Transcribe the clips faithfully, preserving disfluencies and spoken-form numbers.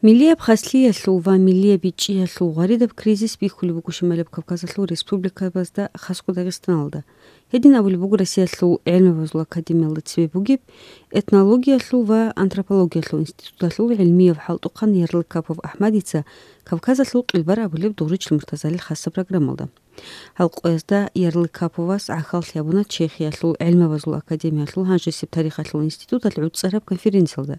Миллияб хаслъиялъул ва миллияб бичӀчӀиялъул гъваридаб кризис бихьулеб буго Шималаб Кавказалъул республикабазда, хасго Дагъистаналда. Гьедин абулеб буго Россиялъул гӀелмабазул академиялда цебе бугеб этнологиялъул ва антропологиялъул институталъул гӀелмияв хӀалтӀухъан Ярлыкапов АхӀмадица Кавказалъул къилбар абулеб Дугъричил Муртазалил хасаб программалда. Гьал къоязда Ярлыкаповас гӀахьаллъи гьабуна Чехиялъул гӀелмабазул академиялъул гьанжесеб тарихалъул институталъ гӀуцӀараб конференциялда.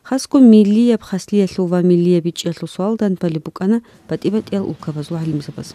Хасго миллияб хаслъиялъул ва миллияб бичӀчӀиялъул суал дандбалеб букӀана батӀи-батӀиял улкабазул гӀалимзабаз.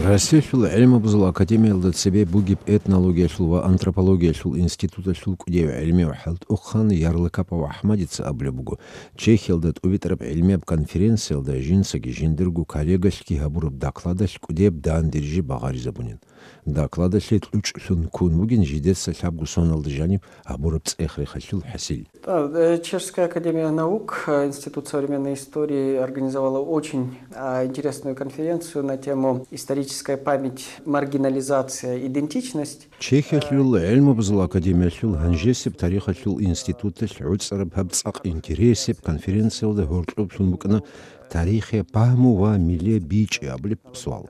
Россиялъул гӀелмабазул академиялда цебе бугеб этнологиялъул ва антропологиялъул институталъул кӀудияв гӀелмияв хӀалтӀухъан Ярлыкапов АхӀмадица абулеб буго, Чехиялда тӀубитӀараб гӀелмияб конференциялда жинцаги жиндирго коллегалъги гьабураб докладалъ кӀудияб дандерижи багъаризабунин. Докладалъе кьучӀлъун ккун бугин жидеца лъабго соналда жаниб гьабураб цӀех-рехалъул хӀасил. Да, э, Чешская академия наук, э, Институт современной истории организовала очень, а, интересную конференцию на тему «Историческая память, маргинализация, идентичность». Чехиялъул гӀелмабазул академиялъул гьанжесеб тарихалъул институталъ гӀуцӀараб гьаб цӀакъ интересеб конференциялда гьоркьоблъун букӀана тарихе пагьму ва милле бичӀи абулеб суал.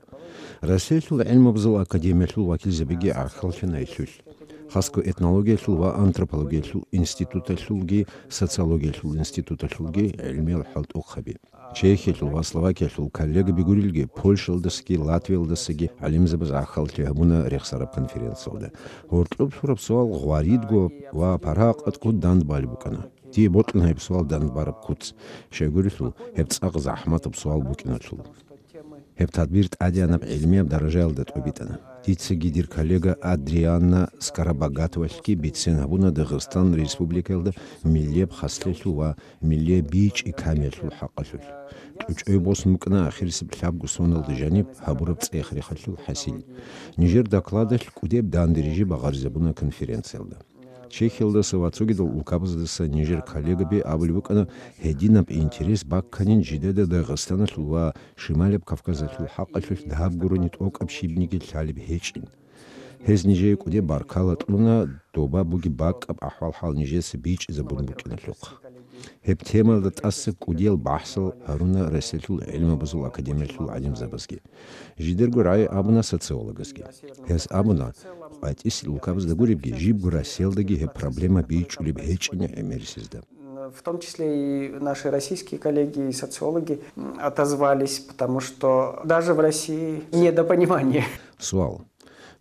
Россиялъул гӀелмабазул академиялъул вакилзабиги гӀахьаллъана гьелъулъ. Хасго этнологиялъул ва антропологиялъул институталъулги, социологиялъул институталъулги гӀелмиял хӀалтӀухъаби. Чехиялъул ва Словакиялъул коллегаби гурилги, Польшаялдасаги Латвиялдасаги гӀалимзабаз гӀахьаллъи гьабуна рехсараб конференциялда. Гьоркьоб лъураб суал гъваридго ва парагъатго дандбалеб букӀана. Дие бокьана гьеб суал дандбараб куц, щайгурелъул гьеб цӀакъ захӀматаб суал букӀиналъул. Гьеб тадбир тӀадегӀанаб гӀилмияб даражаялда тӀубитӀана. Дицаги дир коллега Адрианна Скоробогатовалъги бицен гьабуна Дагъистан Республикаялда миллияб хаслъиялъул ва миллияб бичӀи камиялъул хӀакъалъулъ. КьучӀой босун букӀана ахирисеб лъабго соналда жаниб гьабураб цӀех-рехалъул хӀасил. Нижер докладалъ кӀудеб дандерижи багъаризабуна конференциялда. Чехиялдаса ва цогидал улкабаздаса нижер коллегаби абулеб букӀана, гьединаб интерес бакканин жидеда Дагъистаналъул ва Шималаб Кавказалъул хӀакъалъулъ дагьаб гурони тӀокӀаб щибниги лъалеб гьечӀин. Гьез нижее кӀудеб баркала кьуна доба бугеб бакӀаб ахӀвал-хӀал нижеца бичӀчӀизабун букӀиналъухъ. Гьеб темаялда тӀаса кӀудиял бахӀсал гьаруна Россиялъул гӀилмабазул академиялъул гӀалимзабазги. Жидерго рагӀи абуна социологазги. Гьес абуна, къватӀисел улкабазда гуребги, жибго Россиялдаги гьеб проблема бичӀчӀулеб гьечӀин гӀемерисезда. В том числе и наши российские коллеги и социологи, м, отозвались, потому что даже в России недопонимание. Суал.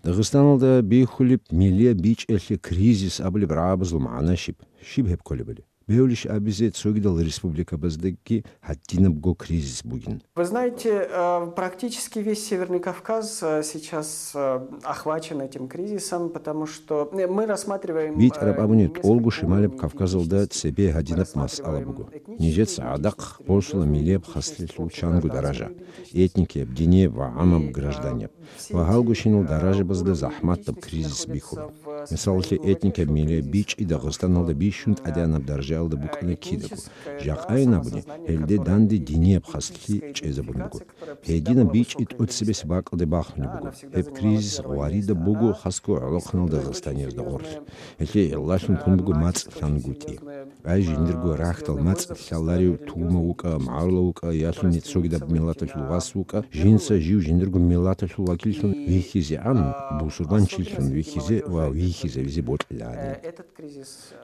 Дагъистаналда бихьулеб миллияб бичӀчӀиялъе кризис абулеб рагӀабазул магӀна щиб? Щиб гьеб кколебали? Бегьулищ абизе, цогидал республикабаздаги гьадинабго кризис бугин? Вы знаете, э, практически весь Северный Кавказ, э, сейчас, э, охвачен этим кризисом, потому что, э, мы рассматриваем, э, БитӀараб абуни, несколько тӀолго Шималаб Кавказалда цебе гьадинаб масъала буго. Нижеца гӀадахъ босула миллияб хаслъиялъул чанго даража: этникияб, динияб ва гӀамаб, гражданияб. Ва гьалгощинал даражабазда захӀматаб кризис бихьула. Мисалалъе, этникаб миллияб бичӀчӀи Дагъистаналда бищун тӀадегӀанаб даражаялда букӀана кидаго. Жакъайин абуни, гьелде данде динияб хаслъи чӀезабун буго. Гьединаб бичӀчӀи тӀоцебесеб бакӀалде бахунеб буго. Гьеб кризис гъваридаб буго хасго гӀолохъанал дагъистаниязда гъорлъ. Гьелъие гӀиллалъун ккун буго мацӀ лъангутӀи. Ай жиндирго рахьдал мацӀ лъаларев тугьмав вукӀа, магӀарулав вукӀа, ялъуни цогидаб миллаталъул вас вукӀа, жинца жив жиндирго миллаталъул вакиллъун вихьизегӀан, бусурбанчилъун вихьизе ва вихьизавизе бокьилаанин.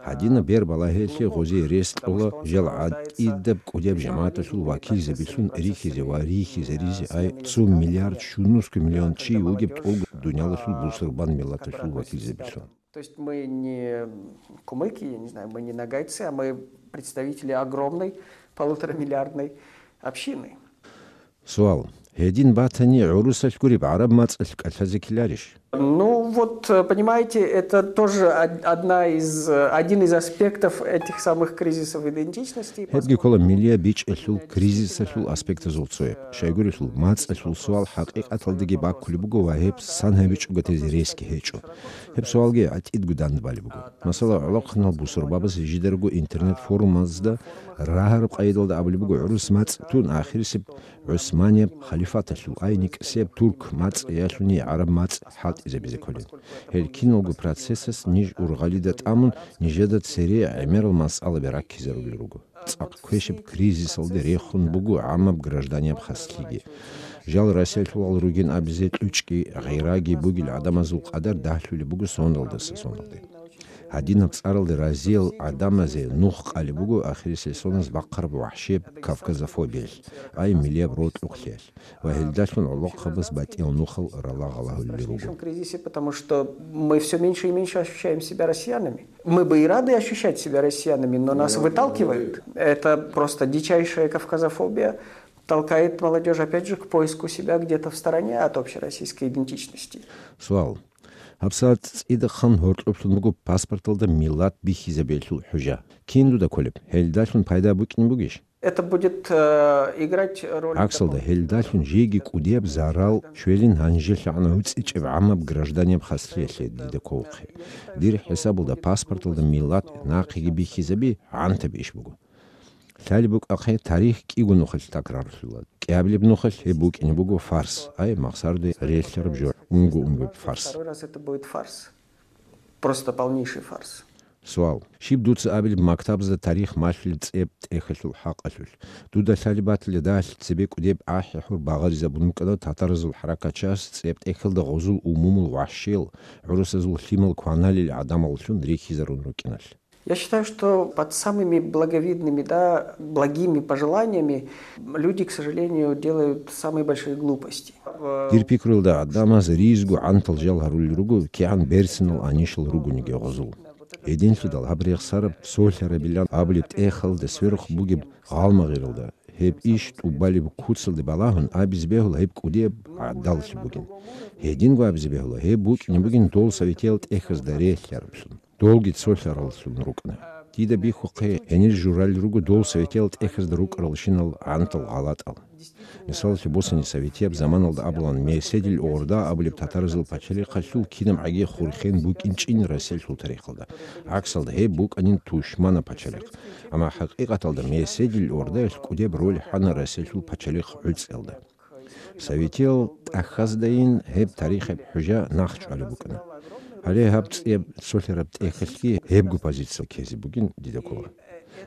Гьадинаб бер балагьиялъе гъозие рес кьола жал гӀатӀидаб кӀудияб жамагӀаталъул вакилзабилъун рихьизе ва рихьизаризе ай цо миллиард щунусго миллион чи вугеб тӀолго дуниялалъул бусурбан миллаталъул вакилзабилъун. То есть мы не кумыки, я не знаю, мы не ногайцы, а мы представители огромной полуторамиллиардной общины. Суал. Гьедин батани, гӀурусалъ гуреб гӀараб мацӀалъ кӀалъазе ккеларищ? Ну вот, э, понимаете, это тоже од-, одна из, э, один из аспектов этих самых кризисов идентичности. Гьебги ккола миллияб бичӀчӀиялъул кризисалъул аспектазул цояб. Щайгурелъул, мацӀалъул суал хӀакъикъаталдаги баккулеб буго ва гьеб сан гьабичӀого тезе ресги гьечӀо. Гьеб суалги гӀатӀидго дандбалеб буго. Масала, гӀолохъанал бусурбабаз жидарго интернет-форумазда рагьараб къайдалда абулеб буго, гӀурус мацӀ тун, ахирисеб ГӀусманияб халифаталъул ай никӀсияб турк мацӀ ялъуни гӀараб мацӀ хӀалтӀи гьабизе кколин. Гьел киналго процессас ниж ургъалида тӀамун, нижеда цере гӀемерал масъалаби раккизарулел руго. ЦӀакъ квешаб кризисалде рехун буго гӀаммаб гражданияб хаслъиги. Жал Россиялъулал ругин абизе кьучӀги гъираги бугел гӀадамазул къадар дагьлъулеб буго соналдаса соналде. Гьадинаб цӀаралде разиял гӀадамазе нух къалеб буго ахирисеб соналъ бахъараб вахӀшияб кавказофобиялъ, ай миллияб рокьукълъиялъ ва гьелдалъун гӀолохъабаз батӀиял нухал ралагъалагьулел В руго. Кризисе, потому что мы все меньше и меньше ощущаем себя россиянами. Мы бы и рады ощущать себя россиянами, но нас выталкивают. Это просто дичайшая кавказофобия толкает молодежь опять же к поиску себя где-то в стороне от общероссийской идентичности. Суал. ГьабсагӀат цӀидахъан гьоркьоблъун буго паспорталда миллат бихьизабиялъул хӀужа. Кин дуда кколеб? Гьелдалъун пайда букӀин бугищ? Это будет э, играть роль... ГӀаксалда, гьелдалъун жеги кӀудияб зарал щвелин гьанжелъагӀан гьуцӀичӀеб гӀаммаб гражданияб хаслъиялъе дида кколхъе. Дир хӀисабалда паспорталда миллат нахъеги бихьизаби гӀантаб иш буго. Лъалеб букӀахъе, тарих кӀиго нухалъ такрарлъула. КӀиабилеб нухалъ гьеб букӀине буго фарс, ай махсарде релълъараб жо, унго-унгояб фарс. Второй раз это будет фарс. Просто полнейший фарс. Суал. Щиб дуца абилеб мактабазда тарих малъулеб цӀеб тӀехьалъул хӀакъалъулъ? Дуда лъалеб батила дагьалъ цебе кӀудеб ахӀи-хӀур багъаризабун букӀана татаразул хӀаракатчияс цӀеб тӀехьалда гъозул умумул вахӀшиял, гӀурусазул лъимал кваналел гӀадамаллъун рихьизарун рукӀиналъ. Я считаю, что под самыми благовидными, да, благими пожеланиями люди, к сожалению, делают самые большие глупости. Дир пикруялда, гӀадамаз ризго гӀантал жал гьарулел руго, кигӀан берцинал анищал ругониги гъозул. Гьединлъидал гьаб рехсараб цолъарабилан абулеб тӀехьалда сверухъ бугеб гъалмагъиралда, гьеб иш тӀубалеб куцалде балагьун абизе бегьула гьеб кӀудияб гӀадаллъи бугин. Гьединго абизе бегьула гьеб букӀине бугин дол советиял тӀехьазда релълъараблъун. Долги цолъараллъун рукӀана. Дида бихьухъе, гьенир журалел руго дол советиял тӀехьазда рукӀаралщинал гӀантал гъалатӀал. Мисалалъе босани, советияб заманалда абулан, Меседил гӀорда абулеб татаразул пачалихъалъул кинабгӀаги хурхен букӀинчӀин Россиялъул тарихалда. ГӀаксалда, гьеб букӀанин тушманаб пачалихъ. Амма хӀакъикъаталда Меседил гӀордаялъ кӀудеб роль хӀана Россиялъул пачалихъ гӀуцӀиялда. Советиял тӀахьаздайин гьеб тарихияб хӀужа нахъчӀвалеб букӀана. Гьале гьаб цӀияб цолъараб тӀехьалъги гьебго позиция ккезе бугин дида ккола.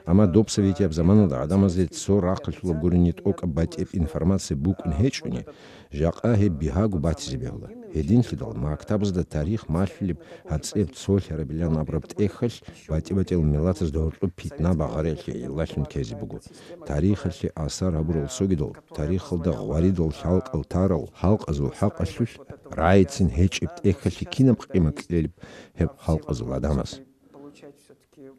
Амма доб советияб заманалда гӀадамазде цо рахъалъулаб гурони тӀокӀаб батӀияб информация букӀун гьечӀони, жакъа гьеб бигьаго батизе бегьула. Гьединлъидал мактабазда тарих малъулеб гьаб цӀеб цолъарабилан абураб тӀехьалъ батӀи-батӀиял миллатазда гьоркьоб питна багъариялъе гӀиллалъун ккезе буго. Тарихалъе асар гьабурал цогидал, тарихалда гъваридал лъалкӀал тарал халкъазул хӀакъалъулъ рагӀицин гьечӀеб тӀехьалъе кинаб къимат кьелеб гьеб халкъазул гӀадамаз?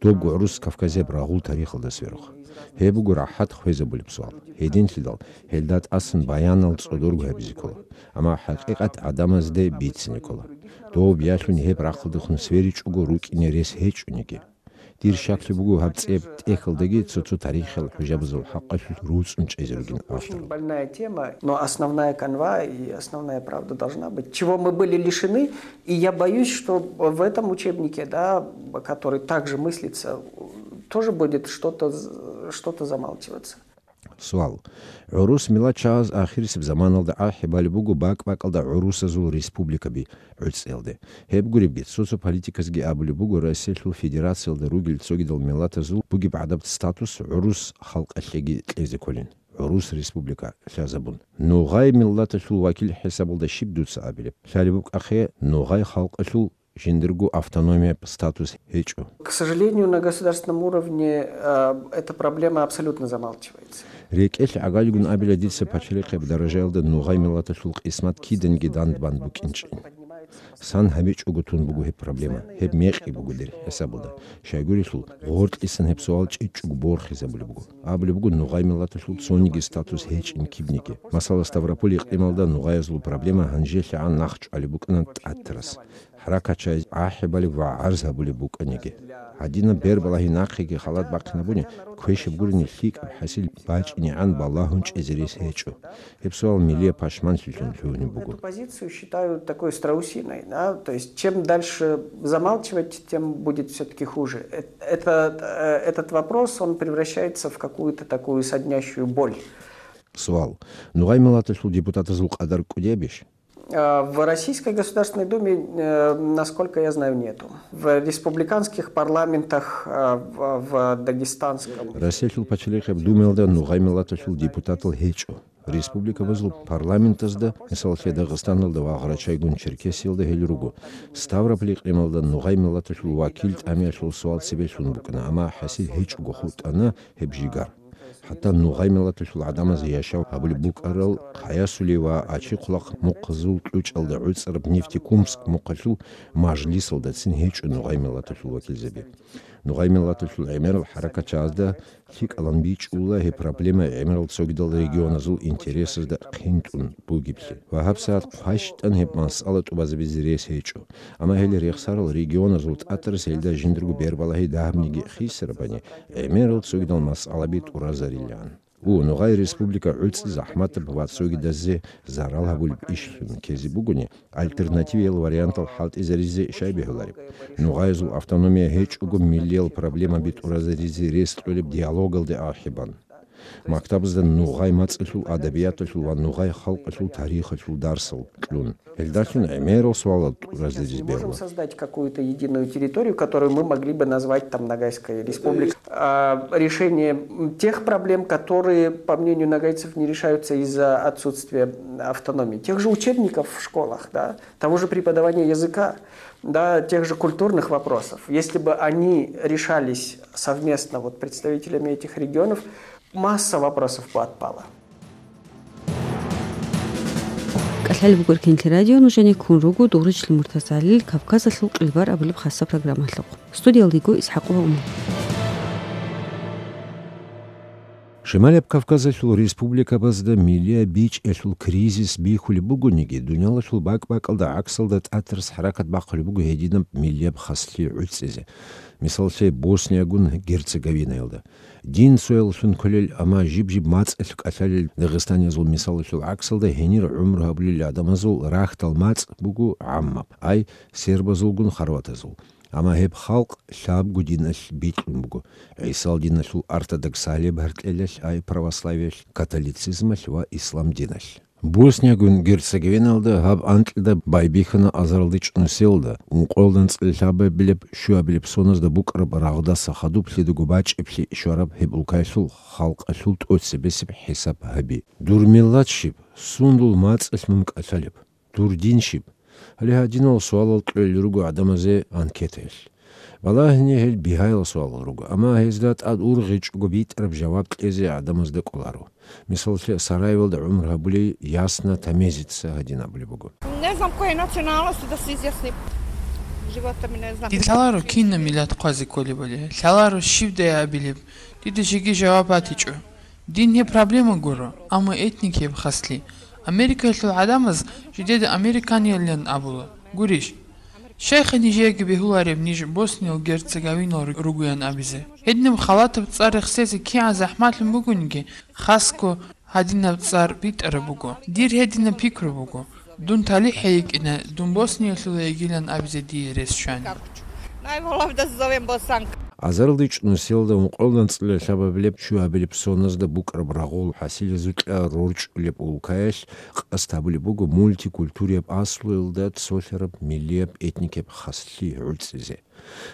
Добго гӀурус Кавказияб рагъул тарихалда сверухъ. Гьеб буго рахӀат хвезабулеб суал. Гьединлъидал гьелда тӀасан баянал цӀодорго гьабизе ккола, амма хӀакъикъат гӀадамазде бицине ккола. Доб ялъуни гьеб рахъалдехун сверичӀого рукӀине рес гьечӀониги. Дир щаклъи буго гьаб цӀеб тӀехьалдаги цо-цо тарихиял хӀужабазул хӀакъалъулъ руцӀцӀун чӀезе ругин авторал. Очень больная тема, но основная канва и основная правда должна быть. Чего мы были лишены, и я боюсь, что в этом учебнике, да, который также мыслится, тоже будет что-то з- что-то замалчиваться. Суал. ГӀурус миллатчагӀаз ахирисеб заманалда гӀахӀи балеб буго бакӀ-бакӀалда гӀурусазул республикаби гӀуцӀиялде. Гьеб гуребги, цо-цо политиказги абулеб буго Россиялъул Федерациялда ругел цогидал миллатазул бугеб гӀадаб статус гӀурус халкъалъеги кьезе кколин, гӀурус республика лъазабун. Нугъай миллаталъул вакил хӀисабалда щиб дуца абилеб? Лъалеб букӀахъе, нугъай халкъалъул жиндирго автономияб статус гьечӀо. К сожалению, на государственном уровне э, эта проблема абсолютно замалчивается. РекӀелъ гӀагалигун абила дица пачалихъеб даражаялда нугъай миллаталъул къисмат киданги дандбан букӀинчӀин. Сан гьабичӀого тун буго гьеб проблема, гьеб мекъи буго дир хӀисабалда. Щайгурелъул, гъоркьисан гьеб суал чӀичӀого борхизабулеб буго. Абулеб буго, нугъай миллаталъул цониги статус гьечӀин кибниги. Масала, Ставрополь икълималда нугъаязул проблема гьанжелъагӀан нахъчӀвалеб букӀана тӀатарас. ХӀаракатчагӀаз гӀахӀи балеб ва гӀарз гьабулеб букӀаниги. Гьадинаб бербалагьи нахъеги халат бахъинабуни, квешаб гурони лъикӀаб хӀасил бачӀинегӀан балагьун чӀезе рес гьечӀо. Гьеб суал миллияб пашманлъилъун лъугьунеб буго. Эту позицию считаю такой страусиной, да, то есть чем дальше замалчивать, тем будет все-таки хуже. Э- Это, э, этот вопрос, он превращается в какую-то такую соднящую боль. Суал. Нугъай миллаталъул депутатазул къадар кӀудиябищ? А, в Российской Государственной Думе, э, насколько я знаю, нету. В республиканских парламентах, э, в, в Дагестанском. Россиялъул пачалихъияб Думаялда нугъай миллаталъул депутатал гьечӀо. Республикабазул парламентазда, мисалалъе, Дагъистаналда ва Гъарачайгун-Черкесиялда гьел руго. Ставрополь гӀемалда нугъай миллаталъул вакил тӀамиялъул суал цебе лъун букӀана, амма хӀасил гьечӀого хутӀана гьеб жигар. ХӀатта нугъай миллаталъул гӀадамазе яшав гьабулеб букӀарал Хъаясули ва Ачихъулахъ мухъазул кьучӀалда гӀуцӀараб Нефтекумск мухъалъул мажлисалдацин гьечӀо нугъай миллаталъул вакилзаби. Нугъай миллаталъул гӀемерал хӀаракатчагӀазда лъикӀалан бичӀчӀула гьеб проблема гӀемерал цогидал регионазул интересазда хъинтӀун бугеблъи. Ва гьабсагӀат хъващтӀан гьеб масъала тӀубазабизе рес гьечӀо. Амма гьел рехсарал регионазул тӀатӀарас гьелда жиндарго бербалагьи дагьабниги хисарабани, гӀемерал цогидал масъалаби тӀуразарилан. У, нугъай республика гӀуцӀи захӀматаб ва цогидазе зарал гьабулеб ишлъун ккезе бугони, альтернативиял вариантал хӀалтӀизаризе щай бегьулареб? Нугъаязул автономия гьечӀого миллиял проблемаби тӀуразаризе рес кьолеб диалогалде ахӀибан. Мактабазда нугъай мацӀалъул, адабияталъул ва нугъай халкъалъул тарихалъул дарсал кьун. Гьелдалъун гӀемерал суалал тӀуразаризе бегьула. Можем создать какую-то единую территорию, которую мы могли бы назвать там Ногайской республикой. А, решение, м, тех проблем, которые, по мнению ногайцев, не решаются из-за отсутствия автономии. Тех же учебников в школах, да, того же преподавания языка, да, тех же культурных вопросов. Если бы они решались совместно вот представителями этих регионов, масса вопросов бы отпала. КӀалъалеб буго РКНТ радио, нужеде ккун руго Дугъричлъи МуртазгӀалил «Кавказалъул къилбар» абулеб хасаб программалъухъ. Студиялда йиго ИсхӀакъова Умар. Шималияб Кавказалъул республикабазда миллияб бичӀчӀиялъул кризис бихьулеб бугониги, дуниялалъул бакӀ-бакӀалда гӀаксалда тӀатарас хӀаракат бахъулеб буго гьединаб миллияб хаслъи гӀуцӀизе. Мисаллъе, Босниягун Герцеговинаялда. Дин цоялъун кколел, амма жиб-жиб мацӀалъ кӀалъалел дагъистаниязул мисалалъул гӀаксалда гьенир гӀумру гьабулел гӀадамазул рахьдал мацӀ буго гӀаммаб, ай, сербазулгун хорватазул. Амма гьеб халкъ лъабго диналъ бикьун буго: ГӀисал диналъул ортодоксалияб гьаркьелалъ, ай, православиялъ, католицизмалъ ва ислам диналъ. Босниягун Герцеговиналда гьаб анкьида байбихьана азаралда чӀунусиялда, ункъоялда анцӀила лъабабилеб щуабилеб соназда букӀараб рагъдаса хадуб лъидаго бачӀиблъи щвараб гьеб улкаялъул халкъалъул тӀоцебесеб хӀисаб гьаби. Дур миллат щиб? Сундул мацӀалъ мун кӀалъалеб? Дур дин щиб? Гьале гьадинал суалал кьолел руго гӀадамазе анкетаялъ. Балагьине гьел бигьаял суалал руго, амма гьезда тӀад ургъичӀого битӀараб жаваб кьезе гӀадамазда кӀоларо. Мисаллъе, Сараевалда гӀумру гьабулей Ясна Тамезица гьадин абулеб буго. Не знам коей националности, да се изъясним. Живота ми не знам. Дид лъаларо кинаб миллат хъвазе кколебали, лъаларо щибдай абилеб, дида жеги жаваб батичӀо. Дин гьеб проблема гуро, амма этникияб хаслъи. Америкаялъул гӀадамаз жидеда американиялилан абула. Гурищ? Щайха нижееги бегьулареб ниж Босниял Герцеговинал ру-, ругоян абизе? Гьединаб халатаб цӀар рехсезе кигӀан захӀмалъун бугониги, хасго гьадинаб цӀар битӀараб буго. Дир гьединаб пикру буго. Дун талихӀ гьейикӀина, дун Босниялъула йигилан абизе дие рес щвани. Najbolje da se zovem Bosanka. Азаралда чӀунусиялда ункъоялда анцӀила лъабабилеб щуабилеб соназда букӀараб рагъул хӀасилазукьа рорчӀулеб улкаялъ къасд гьабулеб буго мультикультурияб аслуялда цолъараб миллияб этникияб хаслъи гӀуцӀизе.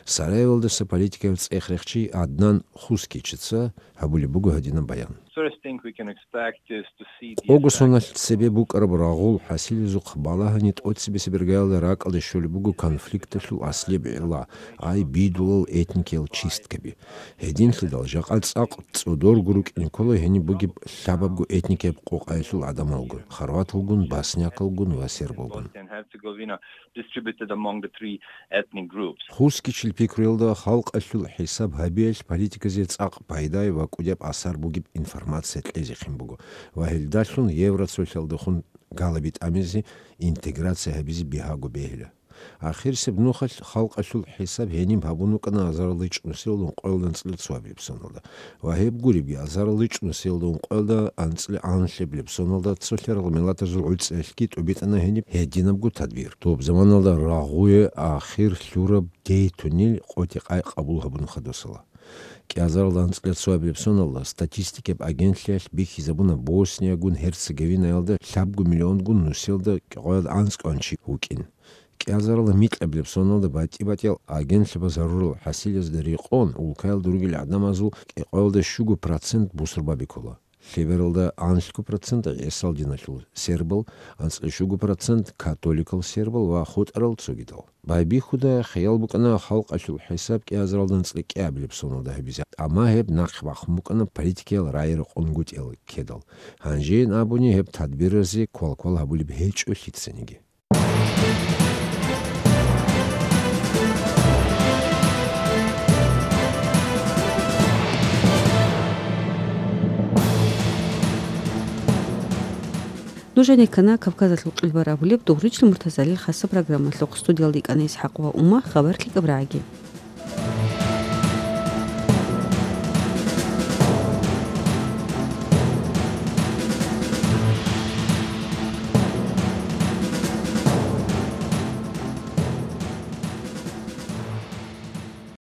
Сараевалдаса политикаялъул цӀех рехчи Аднан Хускичица гьабулеб буго гьадинаб баян. First thing we can expect is to see the Огосоналъ effect цебе букӀараб рагъул хӀасилазухъ балагьани тӀоцебесеб иргаялда ракӀалде щолеб буго конфликталъул аслияб гӀилла, ай, бидулал этникиял чисткаби. Гьединлъидал жакъа цӀакъ цӀодорго рукӀине ккола гьениб бугеб лъабабго этникияб къокъаялъул гӀадамалгун: хорваталгун, боснякалгун ва сербалгун. Bosnia and Herzegovina distributed among the three ethnic groups. Хускичил пикруялда халкъалъул хӀисаб гьабиялъ политиказе цӀакъ пайдай ва кӀудияб асар бугеб информация кьезехъин буго ва гьелдалъун Евроцолъалдехун галаби тӀамизе интеграция гьабизе бигьаго бегьила. Ахирисеб нухалъ халкъалъул хӀисаб гьениб гьабун вукӀана азарал гьечӀеб нусиялда ункъоялда анцӀила цоабилеб соналда. Ва гьеб гуребги, азарал гьечӀеб нусиялда ункъоялда анцӀила анлъабилеб соналда цолъарал миллатазул гӀуцӀиялъги тӀубитӀана гьениб гьединабго тадбир. Доб заманалда рагъуе ахир лъураб дейтунил къотӀи-къай къабул гьабун хадусала. КӀиазарал анцӀила цоабилеб соналда статистикаб агентлъиялъ бихьизабуна Босниягун Гьерцеговинаялда лъабго миллионгун нусиялда кӀикъоялда анцӀкӀван чи вукӀин. КӀиазарал микьабилеб соналда батӀи-батӀиял агентлъабаз гьарурал хӀасилазда рекъон, улкаялда ругел гӀадамазул кӀикъоялда щуго процент бусурбаби ккола. Лъебералда анлъго процент гӀисал диналъул сербал, анцӀила щуго процент католикал сербал ва хутӀарал цогидал. Байбихьуда хиял букӀана халкъалъул хӀисаб кӀиазаралда анцӀила кӀиабилеб соналда гьабизе, амма гьеб нахъе бахъун букӀана политикиял рагӀи-рекъон гутӀиялда ккедал. Гьанжейин абуни, гьеб тадбиразе квалквал гьабулеб гьечӀо лъицаниги. Нуж гьанир ккана Кавказалъул къилбар абулеб Дугъричлъи Муртазалил хасаб программалъухъ. Студиялда йикӀана ИсхӀакъ ва Ума, хабар лъикӀаб рагӀаги.